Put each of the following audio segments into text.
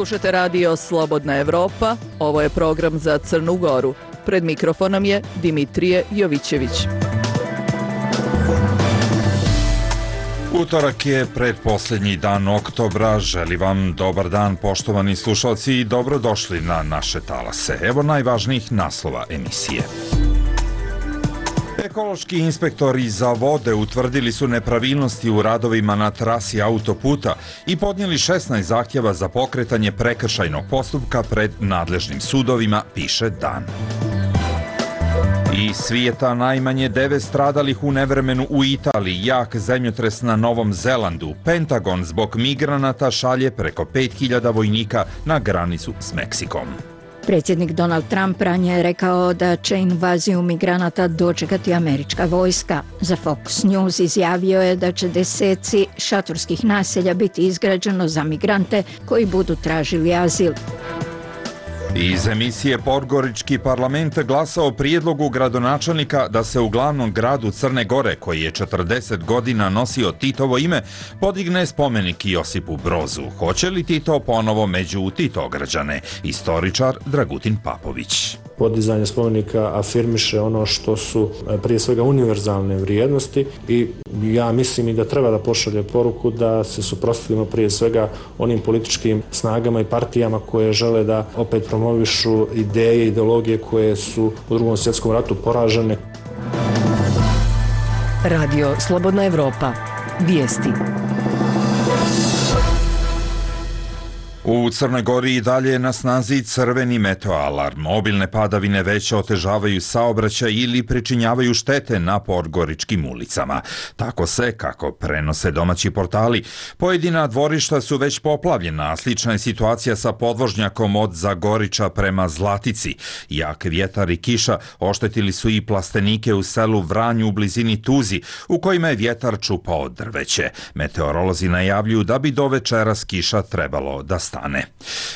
Slušate radio Slobodna Evropa, ovo je program za Crnu Goru. Pred mikrofonom je Dimitrije Jovićević. Utorak je predposlednji dan oktobra. Želim vam dobar dan, poštovani slušalci, i dobrodošli na naše talase. Evo najvažnijih naslova emisije. Ekološki inspektori za vode utvrdili su nepravilnosti u radovima na trasi autoputa i podnijeli 16 zahtjeva za pokretanje prekršajnog postupka pred nadležnim sudovima, piše Dan. Iz svijeta najmanje 9 stradalih u nevremenu u Italiji, jak zemljotres na Novom Zelandu. Pentagon zbog migranata šalje preko 5000 vojnika na granicu s Meksikom. Predsjednik Donald Trump ranije je rekao da će invaziju migranata dočekati američka vojska. Za Fox News izjavio je da će deseci šatorskih naselja biti izgrađeno za migrante koji budu tražili azil. Iz emisije Podgorički parlament glasa o prijedlogu gradonačelnika da se u glavnom gradu Crne Gore, koji je 40 godina nosio Titovo ime, podigne spomenik Josipu Brozu. Hoće li Tito ponovo među Titograđane? Istoričar Dragutin Papović. Podizanje spomenika afirmiše ono što su prije svega univerzalne vrijednosti i ja mislim i da treba da pošalje poruku da se suprotstavimo prije svega onim političkim snagama i partijama koje žele da opet promovišu ideje i ideologije koje su u Drugom svjetskom ratu poražene. Radio Slobodna Evropa. Vijesti. U Crnoj Gori i dalje je na snazi crveni meteoalarm. Obilne padavine već otežavaju saobraćaj ili pričinjavaju štete na podgoričkim ulicama. Tako se, kako prenose domaći portali, pojedina dvorišta su već poplavljena, a slična je situacija sa podvožnjakom od Zagoriča prema Zlatici. Jak vjetar i kiša oštetili su i plastenike u selu Vranju u blizini Tuzi, u kojima je vjetar čupao drveće. Meteorolozi najavljuju da bi do večeras kiša trebalo da stane.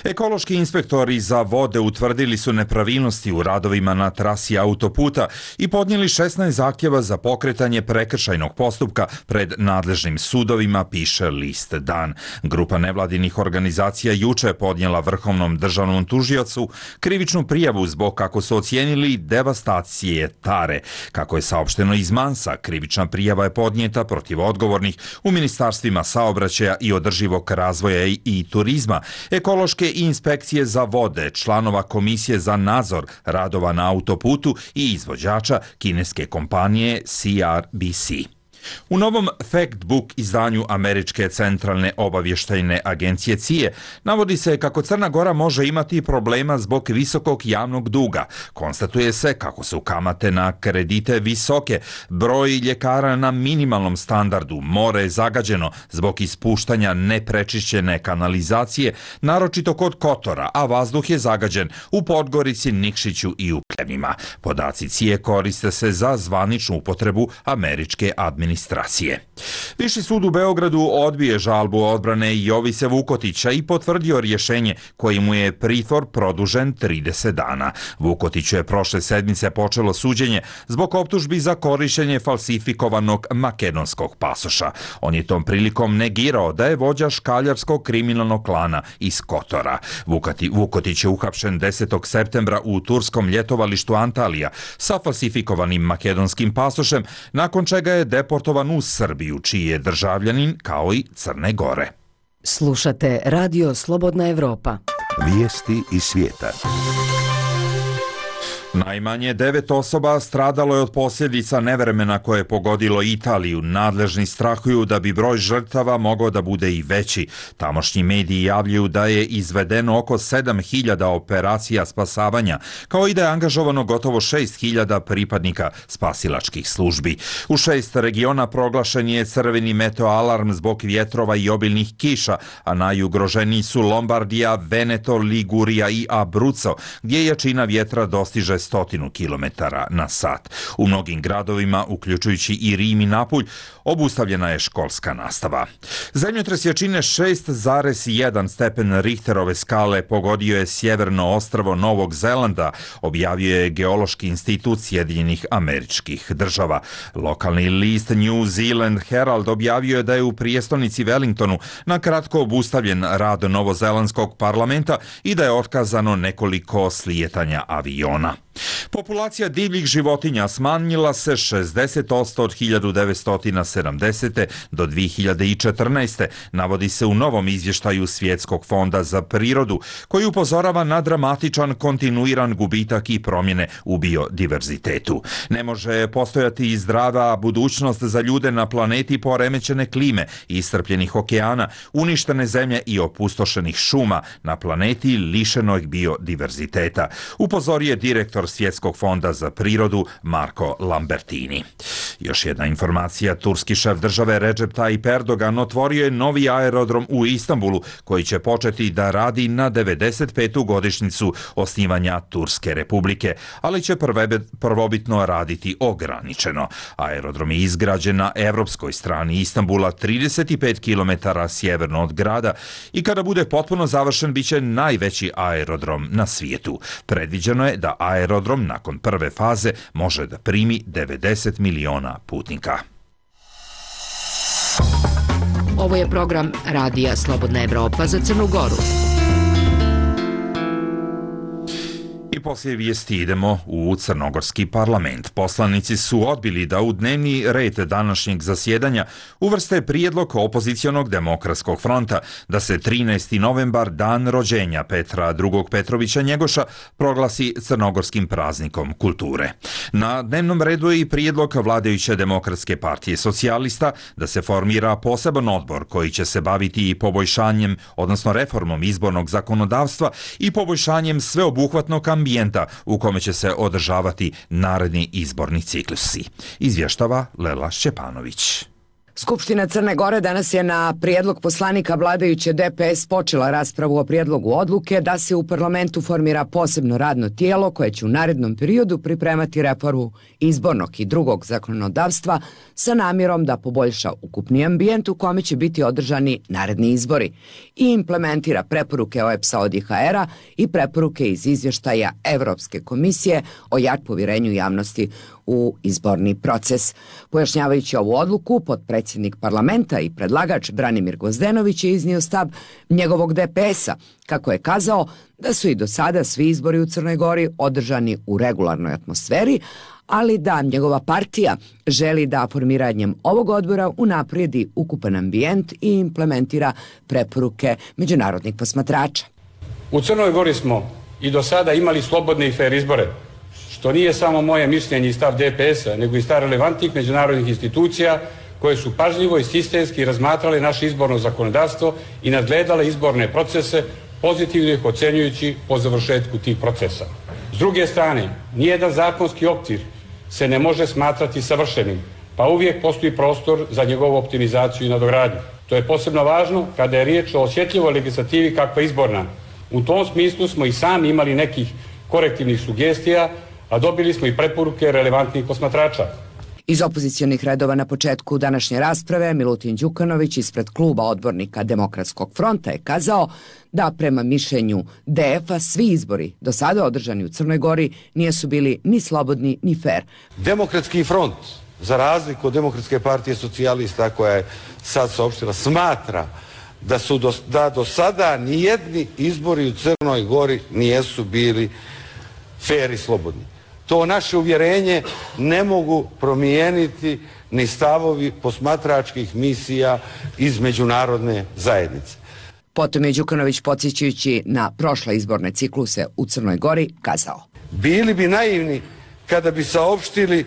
Ekološki inspektori za vode utvrdili su nepravilnosti u radovima na trasi autoputa i podnijeli 16 zahtjeva za pokretanje prekršajnog postupka pred nadležnim sudovima, piše list Dan. Grupa nevladinih organizacija juče je podnijela Vrhovnom državnom tužiocu krivičnu prijavu zbog, kako su ocijenili, devastacije Tare. Kako je saopšteno iz Mansa, krivična prijava je podnijeta protiv odgovornih u ministarstvima saobraćaja i održivog razvoja i turizma, ekološke inspekcije za vode, članova komisije za nadzor radova na autoputu i izvođača kineske kompanije CRBC. U novom Factbook izdanju Američke centralne obavještajne agencije CIA navodi se kako Crna Gora može imati problema zbog visokog javnog duga. Konstatuje se kako su kamate na kredite visoke, broj ljekara na minimalnom standardu, more je zagađeno zbog ispuštanja neprečišćene kanalizacije, naročito kod Kotora, a vazduh je zagađen u Podgorici, Nikšiću i u Pljevima. Podaci CIA koriste se za zvaničnu upotrebu američke administracije. Viši sud u Beogradu odbije žalbu odbrane Jovise Vukotića i potvrdio rješenje kojim mu je pritvor produžen 30 dana. Vukotiću je prošle sedmice počelo suđenje zbog optužbi za korištenje falsifikovanog makedonskog pasoša. On je tom prilikom negirao da je vođa škaljarskog kriminalnog klana iz Kotora. Vukotić je uhapšen 10. septembra u turskom ljetovalištu Antalija sa falsifikovanim makedonskim pasošem, nakon čega je deportovan u Srbiju, čiji je državljanin kao i Crne Gore. Slušate Radio Slobodna Evropa. Vijesti iz svijeta. Najmanje 9 osoba stradalo je od posljedica nevremena koje je pogodilo Italiju. Nadležni strahuju da bi broj žrtava mogao da bude i veći. Tamošnji mediji javljaju da je izvedeno oko 7000 operacija spasavanja, kao i da je angažovano gotovo 6000 pripadnika spasilačkih službi. U 6 regiona proglašen je crveni meteoalarm zbog vjetrova i obilnih kiša, a najugroženiji su Lombardija, Veneto, Ligurija i Abruzzo, gdje jačina vjetra dostiže 900 km na sat. U mnogim gradovima, uključujući i Rim i Napulj, obustavljena je školska nastava. Zemljotres jačine 6,1 stepen Richterove skale pogodio je sjeverno ostrvo Novog Zelanda, objavio je Geološki institut Sjedinjenih Američkih Država. Lokalni list New Zealand Herald objavio je da je u prijestolnici Wellingtonu na kratko obustavljen rad novozelandskog parlamenta i da je otkazano nekoliko slijetanja aviona. Populacija divljih životinja smanjila se 60% od 1970. do 2014. navodi se u novom izvještaju Svjetskog fonda za prirodu, koji upozorava na dramatičan kontinuiran gubitak i promjene u biodiverzitetu. Ne može postojati i zdrava budućnost za ljude na planeti poremećene klime, iscrpljenih okeana, uništene zemlje i opustošenih šuma na planeti lišenoj biodiverziteta, upozorio je direktor Svjetskog fonda za prirodu Marko Lambertini. Još jedna informacija, turski šef države Recep Tayyip Erdogan otvorio je novi aerodrom u Istanbulu koji će početi da radi na 95. godišnjicu osnivanja Turske republike, ali će prvobitno raditi ograničeno. Aerodrom je izgrađen na evropskoj strani Istanbula, 35 km sjeverno od grada i kada bude potpuno završen bit će najveći aerodrom na svijetu. Predviđeno je da aerodrom nakon prve faze može da primi 90 miliona putnika. Ovo je program Radija Slobodna Evropa za Crnu Goru. I poslije vijesti idemo u crnogorski parlament. Poslanici su odbili da u dnevni red današnjeg zasjedanja uvrste prijedlog opozicionog demokratskog fronta da se 13. novembar, dan rođenja Petra II. Petrovića Njegoša, proglasi crnogorskim praznikom kulture. Na dnevnom redu je i prijedlog vladajuće Demokratske partije socijalista da se formira poseban odbor koji će se baviti i poboljšanjem, odnosno reformom izbornog zakonodavstva i poboljšanjem sveobuhvatnog ambijenta u kome će se održavati naredni izborni ciklusi. Izvještava Lela Šćepanović. Skupština Crne Gore danas je na prijedlog poslanika vladajuće DPS počela raspravu o prijedlogu odluke da se u parlamentu formira posebno radno tijelo koje će u narednom periodu pripremati reformu izbornog i drugog zakonodavstva sa namjerom da poboljša ukupni ambijent u kome će biti održani naredni izbori i implementira preporuke OEBS-a od IHR-a i preporuke iz izvještaja Evropske komisije o povjerenju javnosti u izborni proces. Pojašnjavajući ovu odluku, potpredsjednik parlamenta i predlagač Branimir Gvozdenović je iznio stav njegovog DPS-a, kako je kazao da su i do sada svi izbori u Crnoj Gori održani u regularnoj atmosferi, ali da njegova partija želi da formiranjem ovog odbora unaprijedi ukupan ambijent i implementira preporuke međunarodnih posmatrača. U Crnoj Gori smo i do sada imali slobodne i fer izbore, što nije samo moje mišljenje i stav DPS-a, nego i stav relevantnih međunarodnih institucija koje su pažljivo i sistemski razmatrale naše izborno zakonodavstvo i nadgledale izborne procese, pozitivno ih ocenjujući po završetku tih procesa. S druge strane, nijedan zakonski okvir se ne može smatrati savršenim, pa uvijek postoji prostor za njegovu optimizaciju i nadogradnju. To je posebno važno kada je riječ o osjetljivoj legislativi kakva je izborna. U tom smislu smo i sami imali nekih korektivnih sugestija, a dobili smo i preporuke relevantnih posmatrača. Iz opozicionih redova na početku današnje rasprave Milutin Đukanović ispred kluba odbornika Demokratskog fronta je kazao da prema mišljenju DF-a svi izbori do sada održani u Crnoj Gori nisu bili ni slobodni ni fer. Demokratski front, za razliku od Demokratske partije socijalista koja je sad saopštila, smatra da do sada nijedni izbori u Crnoj Gori nijesu bili fer i slobodni. To naše uvjerenje ne mogu promijeniti ni stavovi posmatračkih misija iz međunarodne zajednice. Potom je Đukanović, podsjećajući na prošle izborne cikluse u Crnoj Gori, kazao: Bili bi naivni kada bi saopštili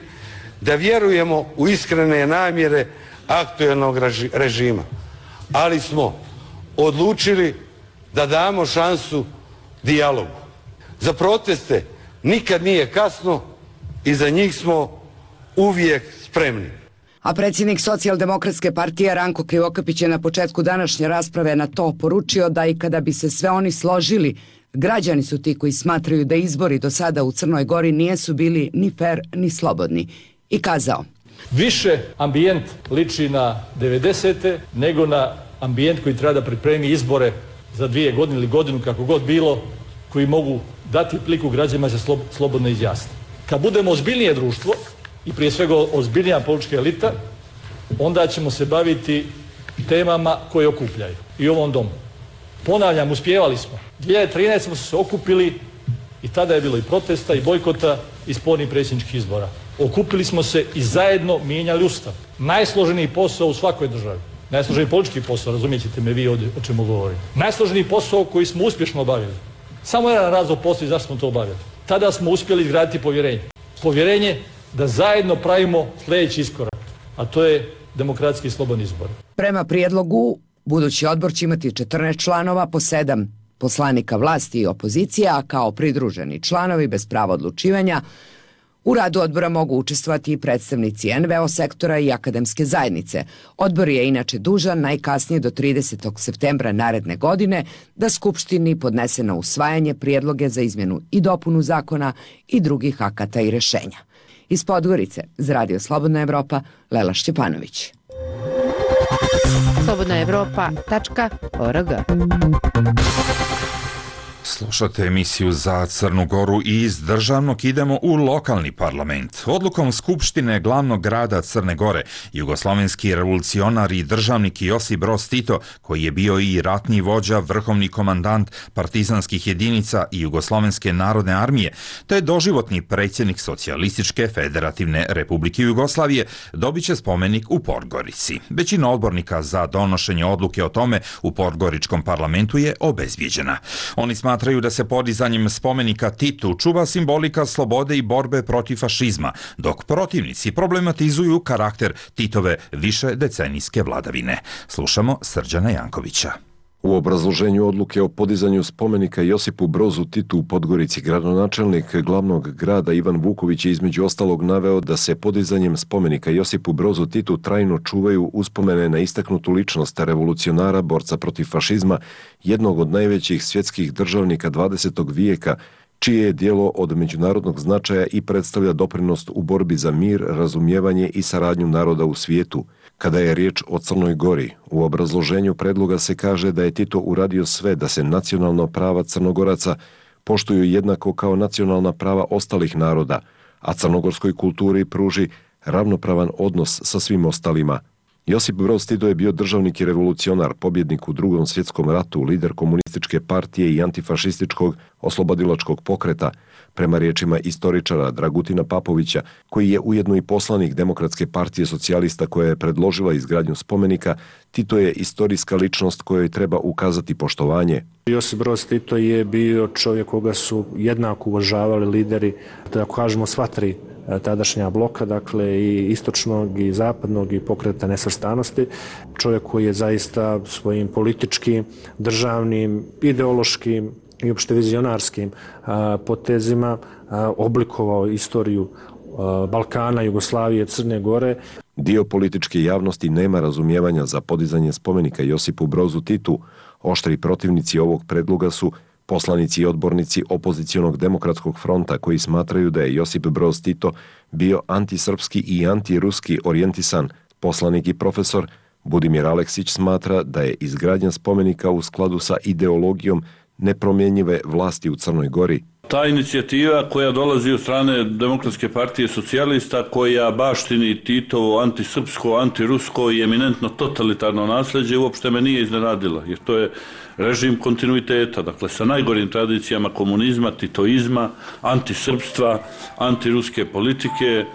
da vjerujemo u iskrene namjere aktuelnog režima, ali smo odlučili da damo šansu dijalogu. Za proteste nikad nije kasno i za njih smo uvijek spremni. A predsjednik Socijaldemokratske partije Ranko Krivokapić je na početku današnje rasprave na to poručio da i kada bi se sve oni složili Građani su ti koji smatraju da izbori do sada u Crnoj Gori nisu bili ni fer ni slobodni. I kazao: više ambijent liči na 90. nego na ambijent koji treba da pripremi izbore za 2 godine ili godinu, kako god bilo, koji mogu dati priliku građanima da se slobodno izjasne. Kad budemo ozbiljnije društvo i prije svega ozbiljnija politička elita, onda ćemo se baviti temama koje okupljaju i u ovom domu. Ponavljam, uspijevali smo. 2013. smo se okupili i tada je bilo i protesta i bojkota i spornih predsjedničkih izbora. Okupili smo se i zajedno mijenjali Ustav. Najsloženiji posao u svakoj državi. Najsloženiji politički posao, razumijet ćete me vi o čemu govorim. Najsloženiji posao koji smo uspješno obavili. Samo jedan razlog postoji zašto smo to obavili. Tada smo uspjeli izgraditi povjerenje. Povjerenje da zajedno pravimo sljedeći iskorak, a to je demokratski i slobodni izbor. Prema prijedlogu, budući odbor će imati 14 članova po 7 poslanika vlasti i opozicije, a kao pridruženi članovi bez prava odlučivanja u radu odbora mogu učestvovati i predstavnici NVO sektora i akademske zajednice. Odbor je inače dužan najkasnije do 30. septembra naredne godine da Skupštini podnese na usvajanje prijedloge za izmjenu i dopunu zakona i drugih akata i rješenja. Iz Podgorice, za Radio Slobodna Evropa, Lela Šćepanović. slobodnaevropa.org. Slušate emisiju za Crnu Goru i iz državnog idemo u lokalni parlament. Odlukom Skupštine glavnog grada Crne Gore, jugoslovenski revolucionar i državnik Josip Broz Tito, koji je bio i ratni vođa, vrhovni komandant partizanskih jedinica i Jugoslovenske narodne armije, te doživotni predsjednik Socijalističke federativne republike Jugoslavije, dobit će spomenik u Podgorici. Većina odbornika za donošenje odluke o tome u podgoričkom parlamentu je obezvijeđena. Oni smatraju da se podizanjem spomenika Titu čuva simbolika slobode i borbe protiv fašizma, dok protivnici problematizuju karakter Titove višedecenijske vladavine. Slušamo Srđana Jankovića. U obrazloženju odluke o podizanju spomenika Josipu Brozu Titu u Podgorici, gradonačelnik glavnog grada Ivan Vuković je između ostalog naveo da se podizanjem spomenika Josipu Brozu Titu trajno čuvaju uspomene na istaknutu ličnost revolucionara, borca protiv fašizma, jednog od najvećih svjetskih državnika 20. vijeka, čije je djelo od međunarodnog značaja i predstavlja doprinos u borbi za mir, razumijevanje i saradnju naroda u svijetu. Kada je riječ o Crnoj Gori, u obrazloženju predloga se kaže da je Tito uradio sve da se nacionalna prava Crnogoraca poštuju jednako kao nacionalna prava ostalih naroda, a crnogorskoj kulturi pruži ravnopravan odnos sa svim ostalima. Josip Broz Tito je bio državnik i revolucionar, pobjednik u Drugom svjetskom ratu, lider komunističke partije i antifašističkog oslobodilačkog pokreta. Prema riječima istoričara Dragutina Papovića, koji je ujedno i poslanik Demokratske partije socijalista koja je predložila izgradnju spomenika, Tito je istorijska ličnost kojoj treba ukazati poštovanje. Josip Broz Tito je bio čovjek koga su jednako uvažavali lideri, da kažemo sva tri tadašnja bloka, dakle i istočnog i zapadnog i pokreta nesvrstanosti. Čovjek koji je zaista svojim političkim, državnim, ideološkim i opšte vizionarskim potezima oblikovao istoriju Balkana, Jugoslavije, Crne Gore. Dio političke javnosti nema razumijevanja za podizanje spomenika Josipu Brozu Titu. Oštri protivnici ovog predloga su poslanici i odbornici opozicionog demokratskog fronta koji smatraju da je Josip Broz Tito bio antisrpski i antiruski orijentisan. Poslanik i profesor Budimir Aleksić smatra da je izgradnja spomenika u skladu sa ideologijom nepromjenjive vlasti u Crnoj Gori. Ta inicijativa koja dolazi od strane Demokratske partije socijalista, koja baštini Titovo antisrpsko, antirusko i eminentno totalitarno nasljeđe, uopšte me nije iznenadila, jer to je režim kontinuiteta, dakle sa najgorim tradicijama komunizma, titoizma, antisrpstva, antiruske politike.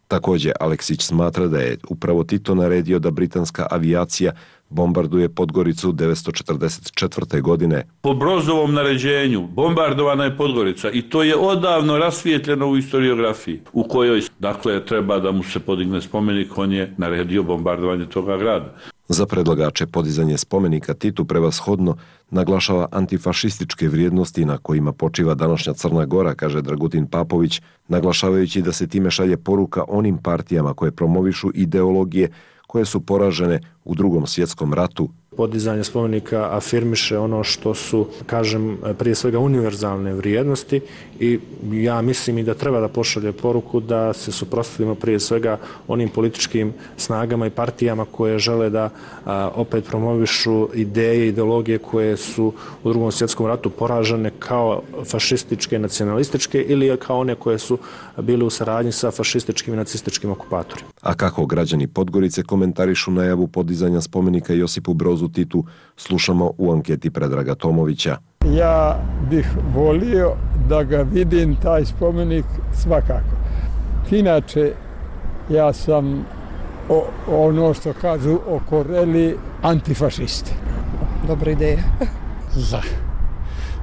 Također, Aleksić smatra da je upravo Tito naredio da britanska avijacija bombarduje Podgoricu 1944. godine. Po Brozovom naređenju bombardovana je Podgorica i to je odavno rasvijetljeno u historiografiji, u kojoj dakle treba da mu se podigne spomenik, on je naredio bombardovanje toga grada. Za predlagače podizanje spomenika Titu prevashodno naglašava antifašističke vrijednosti na kojima počiva današnja Crna Gora, kaže Dragutin Papović, naglašavajući da se time šalje poruka onim partijama koje promovišu ideologije koje su poražene u Drugom svjetskom ratu. Podizanje spomenika afirmiše ono što su, kažem, prije svega univerzalne vrijednosti i ja mislim i da treba da pošalje poruku da se suprotstavimo prije svega onim političkim snagama i partijama koje žele da opet promovišu ideje, ideologije koje su u Drugom svjetskom ratu poražene kao fašističke, nacionalističke ili kao one koje su bile u saradnji sa fašističkim i nacističkim okupatorima. A kako građani Podgorice komentarišu najavu podizanja spomenika Josipu Brozu Titu, slušamo u anketi Predraga Tomovića. Ja bih volio da ga vidim, taj spomenik, svakako. Inače, ja sam ono što kažu o Koreli antifašisti. Dobra ideja.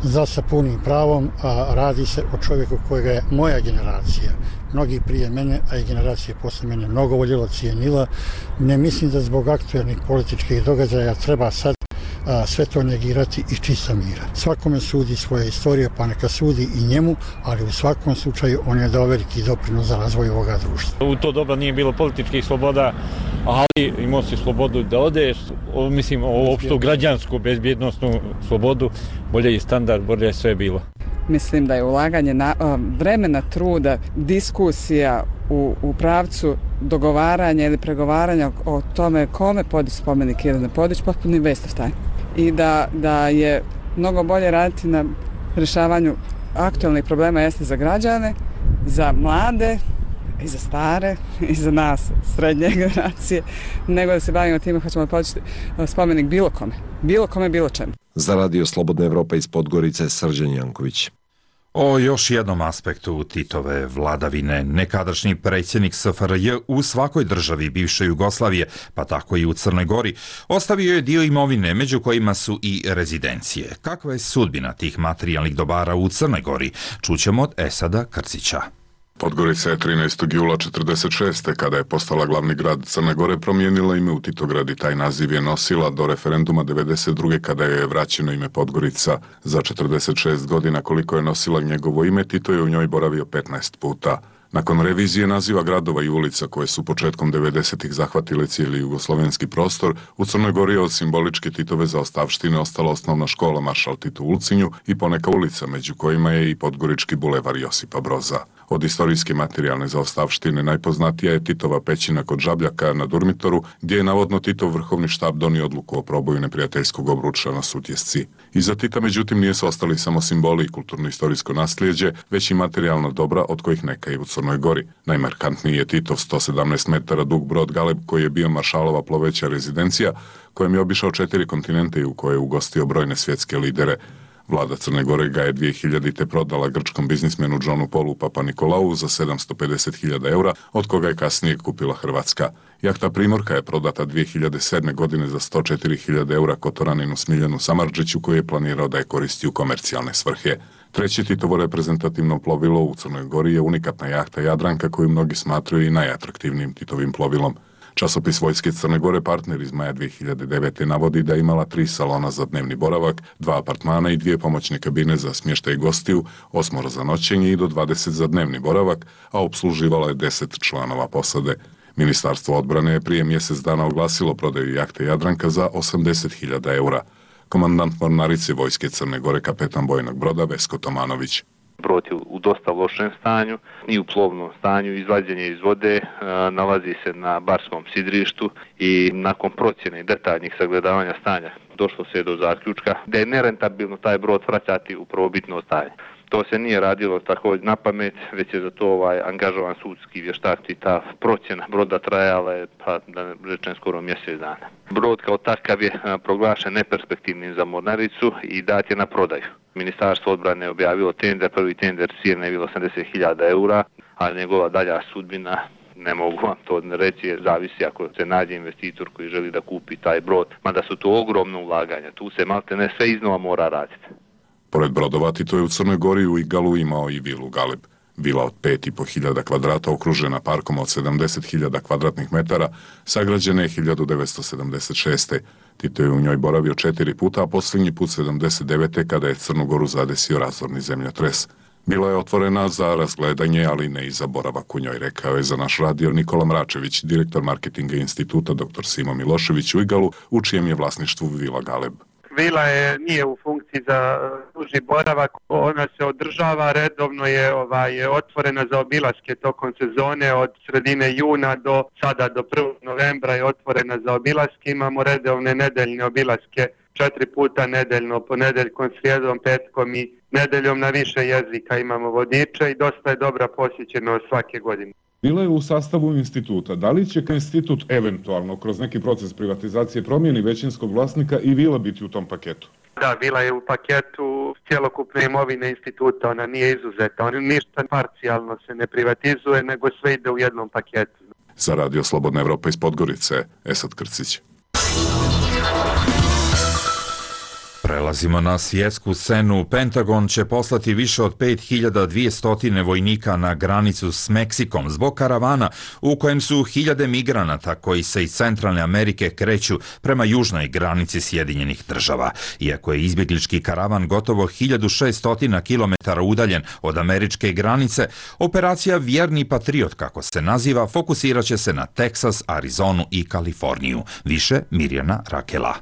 Za sa punim pravom, a radi se o čovjeku kojega je moja generacija, mnogi prije mene, a i generacije posle mene mnogo voljela, cijenila. Ne mislim da zbog aktualnih političkih događaja treba sad sve to negirati iz čista mira. Svakome sudi svoja istorija, pa neka sudi i njemu, ali u svakom slučaju on je dao veliki doprinos za razvoj ovoga društva. U to doba nije bilo političkih sloboda, ali imao si slobodu da odeš, mislim, opštu građansku bezbjednostnu slobodu, bolje je standard, bolje je sve bilo. Mislim da je ulaganje vremena, truda, diskusija u pravcu dogovaranja ili pregovaranja o tome kome podići spomenik ili ne podići, potpuni waste of time. I da je mnogo bolje raditi na rješavanju aktualnih problema jeste za građane, za mlade i za stare i za nas srednje generacije, nego da se bavimo time hoćemo podići spomenik bilo kome, bilo čemu. Za Radio Slobodna Evropa iz Podgorice, Srđan Janković. O još jednom aspektu Titove vladavine, nekadašnji predsjednik SFRJ u svakoj državi bivše Jugoslavije, pa tako i u Crnoj Gori, ostavio je dio imovine, među kojima su i rezidencije. Kakva je sudbina tih materijalnih dobara u Crnoj Gori? Čućemo od Esada Krcića. Podgorica je 13. jula 1946. kada je postala glavni grad Crne Gore promijenila ime u Titograd i taj naziv je nosila do referenduma 1992. kada je vraćeno ime Podgorica. Za 46 godina koliko je nosila njegovo ime, Tito je u njoj boravio 15 puta. Nakon revizije naziva gradova i ulica koje su početkom 90-ih zahvatile cijeli jugoslovenski prostor, u Crnoj Gori je od simboličke Titove zaostavštine ostala osnovna škola Maršal Tito u Ulcinju i poneka ulica, među kojima je i Podgorički bulevar Josipa Broza. Od istorijske materijalne zaostavštine najpoznatija je Titova pećina kod Žabljaka na Durmitoru, gdje je navodno Titov vrhovni štab donio odluku o proboju neprijateljskog obruča na Sutjesci. Iza Tita, međutim, nije su ostali samo simboli i kulturno-istorijsko nasljeđe, već i materijalna dobra od kojih neka i u Crnoj Gori. Najmarkantniji je Titov 117 metara dug brod Galeb koji je bio maršalova ploveća rezidencija, kojem je obišao 4 kontinente i u kojoj je ugostio brojne svjetske lidere. Vlada Crne Gore ga je 2000. prodala grčkom biznismenu Johnu Paulu Papanikolaou za 750.000 eura, od koga je kasnije kupila Hrvatska. Jahta Primorka je prodata 2007. godine za 104.000 eura Kotoraninu Smiljanu Samardžiću koji je planirao da je koristi u komercijalne svrhe. Treće Titovo reprezentativno plovilo u Crnoj Gori je unikatna jahta Jadranka koju mnogi smatraju i najatraktivnijim Titovim plovilom. Časopis Vojske Crne Gore Partner iz maja 2009. navodi da je imala 3 salona za dnevni boravak, 2 apartmana i 2 pomoćne kabine za smještaj gostiju, 8 za noćenje i do 20 za dnevni boravak, a opsluživala je 10 članova posade. Ministarstvo odbrane je prije mjesec dana oglasilo prodaju jahte Jadranka za 80.000 eura. Komandant mornarice Vojske Crne Gore, kapetan bojnog broda Vesko Tomanović. Brod je u dosta lošem stanju i u plovnom stanju, izvađenje iz vode, nalazi se na barskom sidrištu i nakon procjene i detaljnih sagledavanja stanja došlo se do zaključka da je nerentabilno taj brod vraćati u prvobitno stanje. To se nije radilo također na pamet, već je za to angažovan sudski vještak i ta procjena broda trajala je, pa da ne rečem, skoro mjesec dana. Brod kao takav je proglašen neperspektivnim za mornaricu i dat je na prodaju. Ministarstvo odbrane je objavilo tender, prvi tender cijena je bilo 80.000 eura, a njegova dalja sudbina, ne mogu vam to reći, zavisi ako se nađe investitor koji želi da kupi taj brod, mada su to ogromno ulaganja, tu se malte ne sve iznova mora raditi. Pored brodova, Tito je u Crnoj Gori u Igalu imao i vilu Galeb. Vila od 5.500 kvadrata okružena parkom od 70.000 kvadratnih metara, sagrađena je 1976. Tito je u njoj boravio 4 puta, a posljednji put 79. kada je Crnu Goru zadesio razorni zemljotres. Bila je otvorena za razgledanje, ali ne i za boravak u njoj, rekao je za naš radio Nikola Mračević, direktor marketinga instituta dr. Simo Milošević u Igalu, u čijem je vlasništvu Vila Galeb. Vila nije u funkciji za duži boravak, ona se održava, redovno je otvorena za obilaske tokom sezone od sredine juna do sada do 1. novembra je otvorena za obilaske, imamo redovne nedeljne obilaske 4 puta nedeljno, ponedeljkom, srijedom, petkom i nedeljom na više jezika imamo vodiče i dosta je dobra posjećenost svake godine. Vila je u sastavu instituta. Da li će institut eventualno kroz neki proces privatizacije promijeni većinskog vlasnika i Vila biti u tom paketu? Da, Vila je u paketu cjelokupne imovine instituta, ona nije izuzeta. On ništa parcijalno se ne privatizuje, nego sve ide u jednom paketu. Za radio Slobodna Evropa iz Podgorice, Esad Krcić. Prelazimo na svjetsku scenu. Pentagon će poslati više od 5200 vojnika na granicu s Meksikom zbog karavana u kojem su hiljade migranata koji se iz Centralne Amerike kreću prema južnoj granici Sjedinjenih država. Iako je izbjeglički karavan gotovo 1600 km udaljen od američke granice, operacija Vjerni patriot, kako se naziva, fokusirat će se na Teksas, Arizonu i Kaliforniju. Više Mirjana Rakela.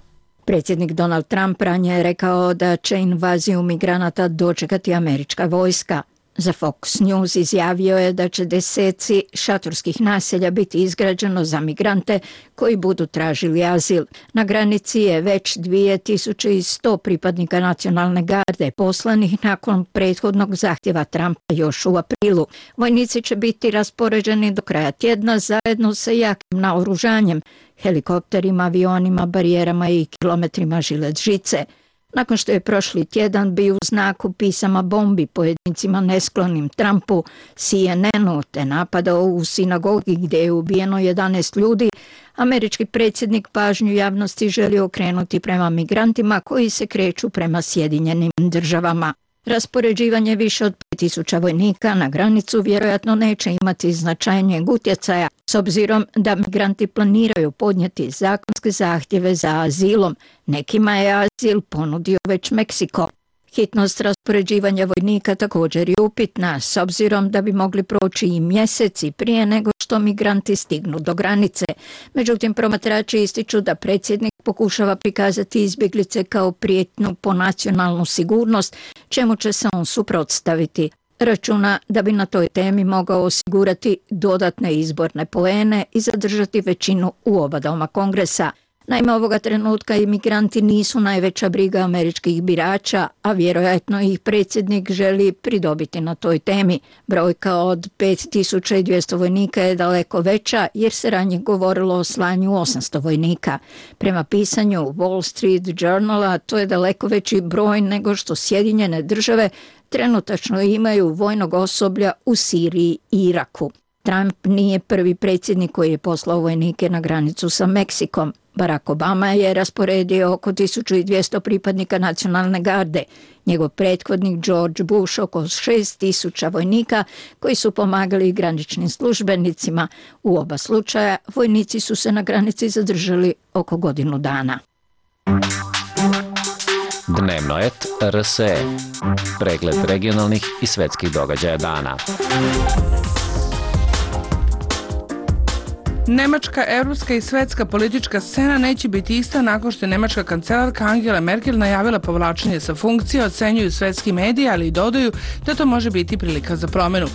Predsjednik Donald Trump ranije je rekao da će invaziju migranata dočekati američka vojska. Za Fox News izjavio je da će deseci šatorskih naselja biti izgrađeno za migrante koji budu tražili azil. Na granici je već 2100 pripadnika nacionalne garde poslanih nakon prethodnog zahtjeva Trumpa još u aprilu. Vojnici će biti raspoređeni do kraja tjedna zajedno sa jakim naoružanjem, helikopterima, avionima, barijerama i kilometrima žilet žice. Nakon što je prošli tjedan bio u znaku pisama bombi pojedincima nesklonim Trumpu, CNN-u te napadao u sinagogi gdje je ubijeno 11 ljudi, američki predsjednik pažnju javnosti želi okrenuti prema migrantima koji se kreću prema Sjedinjenim državama. Raspoređivanje više od 5000 vojnika na granicu vjerojatno neće imati značajnijeg utjecaja, s obzirom da migranti planiraju podnijeti zakonske zahtjeve za azilom. Nekima je azil ponudio već Meksiko. Hitnost raspoređivanja vojnika također je upitna, s obzirom da bi mogli proći i mjeseci prije nego što migranti stignu do granice. Međutim, promatrači ističu da predsjednik pokušava prikazati izbjeglice kao prijetnju po nacionalnu sigurnost, čemu će se on suprotstaviti. Računa da bi na toj temi mogao osigurati dodatne izborne poene i zadržati većinu u oba doma Kongresa. Naime, ovoga trenutka imigranti nisu najveća briga američkih birača, a vjerojatno ih predsjednik želi pridobiti na toj temi. Brojka od 5200 vojnika je daleko veća jer se ranije govorilo o slanju 800 vojnika. Prema pisanju Wall Street Journala to je daleko veći broj nego što Sjedinjene države trenutačno imaju vojnog osoblja u Siriji i Iraku. Trump nije prvi predsjednik koji je poslao vojnike na granicu sa Meksikom. Barack Obama je rasporedio oko 1200 pripadnika nacionalne garde. Njegov prethodnik George Bush oko 6000 vojnika koji su pomagali graničnim službenicima. U oba slučaja vojnici su se na granici zadržali oko godinu dana. Dnevno et RSE. Pregled regionalnih i svetskih događaja dana. Nemačka, evropska i svetska politička scena neće biti ista nakon što je nemačka kancelarka Angela Merkel najavila povlačenje sa funkcije, ocenjuju svetski mediji, ali i dodaju da to može biti prilika za promjenu.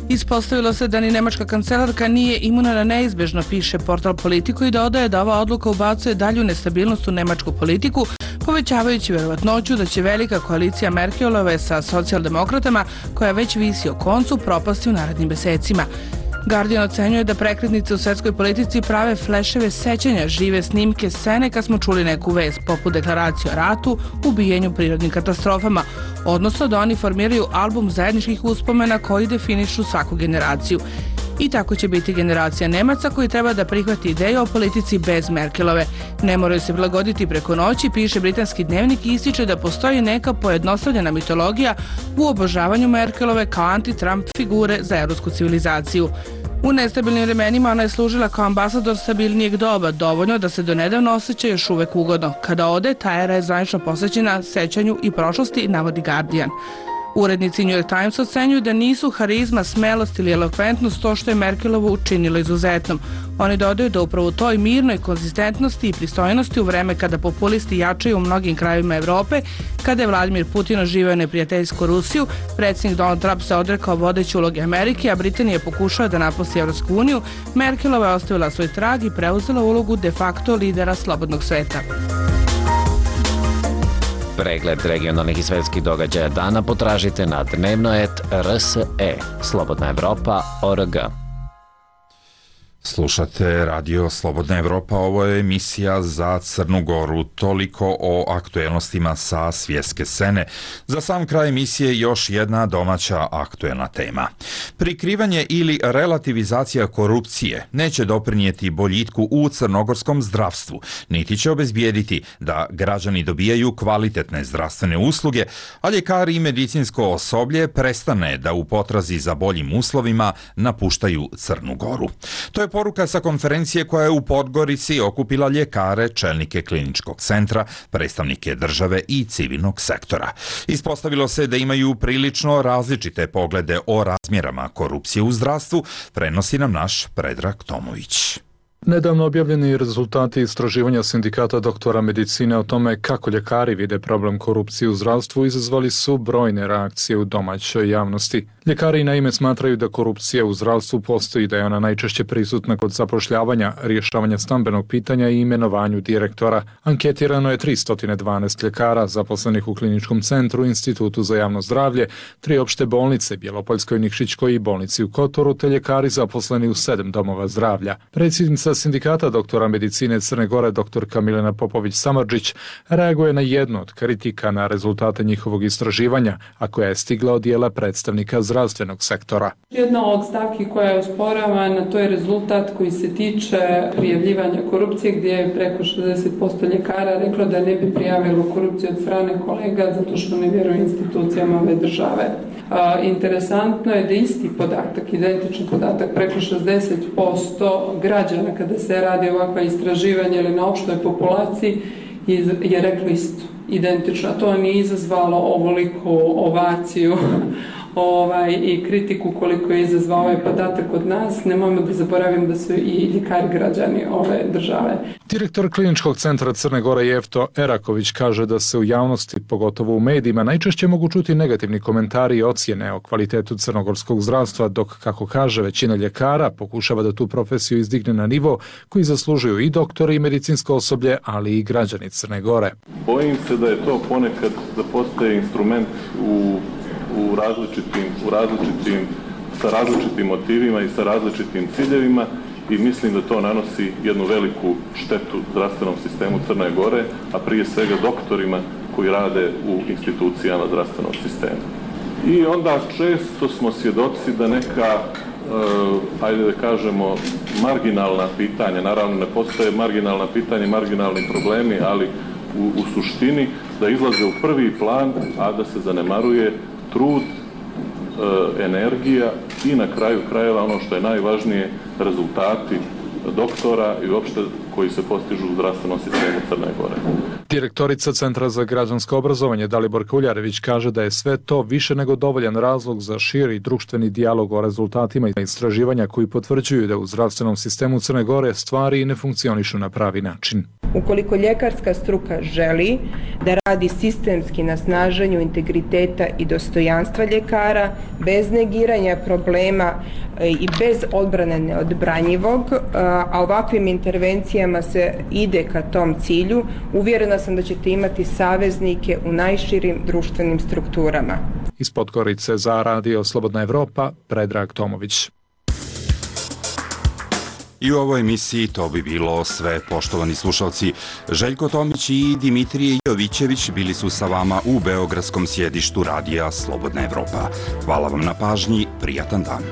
Ispostavilo se da ni nemačka kancelarka nije imuna na neizbježno, piše portal Politico, i dodaje da ova odluka ubacuje dalju nestabilnost u nemačku politiku, povećavajući vjerovatnoću da će velika koalicija Merkelove sa socijaldemokratama, koja već visi o koncu, propasti u narednim mjesecima. Guardian ocenjuje da prekretnice u svetskoj politici prave fleševe sećanja, žive snimke scene kad smo čuli neku vest, poput deklaracije o ratu, ubijenju, prirodnim katastrofama, odnosno da oni formiraju album zajedničkih uspomena koji definišu svaku generaciju. I tako će biti generacija Nemaca koji treba da prihvati ideju o politici bez Merkelove. Ne moraju se prilagoditi preko noći, piše britanski dnevnik i ističe da postoji neka pojednostavljena mitologija u obožavanju Merkelove kao anti-Trump figure za evropsku civilizaciju. U nestabilnim vremenima ona je služila kao ambasador stabilnijeg doba, dovoljno da se donedavno osjeća još uvek ugodno. Kada ode, ta era je zvanično posvećena sećanju i prošlosti, navodi Guardian. Urednici New York Times ocenjuju da nisu harizma, smelost ili elokventnost to što je Merkelovu učinilo izuzetnom. Oni dodaju da upravo u toj mirnoj konzistentnosti i pristojnosti u vreme kada populisti jačaju u mnogim krajevima Evrope, kada je Vladimir Putin oživio neprijateljsku Rusiju, predsjednik Donald Trump se odrekao vodeće uloge Amerike, a Britanija pokušava da napusti Evropsku uniju, Merkelova je ostavila svoj trag i preuzela ulogu de facto lidera slobodnog sveta. Pregled regionalnih i svetskih događaja dana potražite na dnevnoet.rse, Slobodna Evropa.org. Slušate Radio Slobodna Evropa, ovo je emisija za Crnu Goru, toliko o aktuelnostima sa svjetske scene. Za sam kraj emisije još jedna domaća aktuelna tema. Prikrivanje ili relativizacija korupcije neće doprinijeti boljitku u crnogorskom zdravstvu, niti će obezbijediti da građani dobijaju kvalitetne zdravstvene usluge, a ljekari i medicinsko osoblje prestane da u potrazi za boljim uslovima napuštaju Crnu Goru. To je poruka sa konferencije koja je u Podgorici okupila ljekare, čelnike kliničkog centra, predstavnike države i civilnog sektora. Ispostavilo se da imaju prilično različite poglede o razmjerama korupcije u zdravstvu, prenosi nam naš Predrag Tomović. Nedavno objavljeni rezultati istraživanja sindikata doktora medicine o tome kako ljekari vide problem korupcije u zdravstvu izazvali su brojne reakcije u domaćoj javnosti. Ljekari naime smatraju da korupcija u zdravstvu postoji, da je ona najčešće prisutna kod zapošljavanja, rješavanja stambenog pitanja i imenovanju direktora. Anketirano je 312 ljekara zaposlenih u kliničkom centru, Institutu za javno zdravlje, 3 opšte bolnice, Bjelopoljskoj, Nikšićkoj i bolnici u Kotoru, te ljekari zaposleni u 7 domova zdravlja. Predsjednica sindikata doktora medicine Crne Gore, doktorka Milena Popović-Samardžić, reaguje na jednu od kritika na rezultate njihovog istraživanja, a koja je stigla od dijela predstavnika zdravstvenog sektora. Jedna od stavki koja je osporavana, to je rezultat koji se tiče prijavljivanja korupcije, gdje je preko 60% ljekara reklo da ne bi prijavilo korupciju od strane kolega zato što ne vjeruje institucijama ove države. Interesantno je da isti podatak, identičan podatak, preko 60% građana kada se radi ovakva istraživanja ili na opštoj populaciji je reklo isto, identično. To nije izazvalo ovoliku ovaciju i kritiku koliko je izazvao ovaj podatak od nas. Nemojmo da zaboravim da su i ljekari građani ove države. Direktor kliničkog centra Crne Gore Jefto Eraković kaže da se u javnosti, pogotovo u medijima, najčešće mogu čuti negativni komentari i ocjene o kvalitetu crnogorskog zdravstva, dok, kako kaže, većina ljekara pokušava da tu profesiju izdigne na nivo koji zaslužuju i doktori i medicinsko osoblje, ali i građani Crne Gore. Bojim se da je to ponekad da postaje instrument sa različitim motivima i sa različitim ciljevima i mislim da to nanosi jednu veliku štetu zdravstvenom sistemu Crne Gore, a prije svega doktorima koji rade u institucijama zdravstvenog sistema. I onda često smo svjedoci da neka, ajde da kažemo, marginalna pitanja, naravno ne postoje marginalna pitanja i marginalni problemi, ali u suštini da izlaze u prvi plan, a da se zanemaruje trud, energija i na kraju krajeva ono što je najvažnije, rezultati doktora i uopšte koji se postižu u zdravstvenom sistemu Crne Gore. Direktorica Centra za građansko obrazovanje Dalibor Kuljarević kaže da je sve to više nego dovoljan razlog za širi društveni dijalog o rezultatima istraživanja koji potvrđuju da u zdravstvenom sistemu Crne Gore stvari ne funkcionišu na pravi način. Ukoliko ljekarska struka želi da radi sistemski na snaženju integriteta i dostojanstva ljekara, bez negiranja problema i bez odbrane neodbranjivog, a ovakvim intervencijama se ide ka tom cilju, uvjerena sam da ćete imati saveznike u najširim društvenim strukturama. Iz Podgorice za Radio Slobodna Evropa, Predrag Tomović. I u ovoj emisiji to bi bilo sve, poštovani slušalci. Željko Tomić i Dimitrije Jovićević bili su sa vama u beogradskom sjedištu Radija Slobodna Evropa. Hvala vam na pažnji, prijatan dan.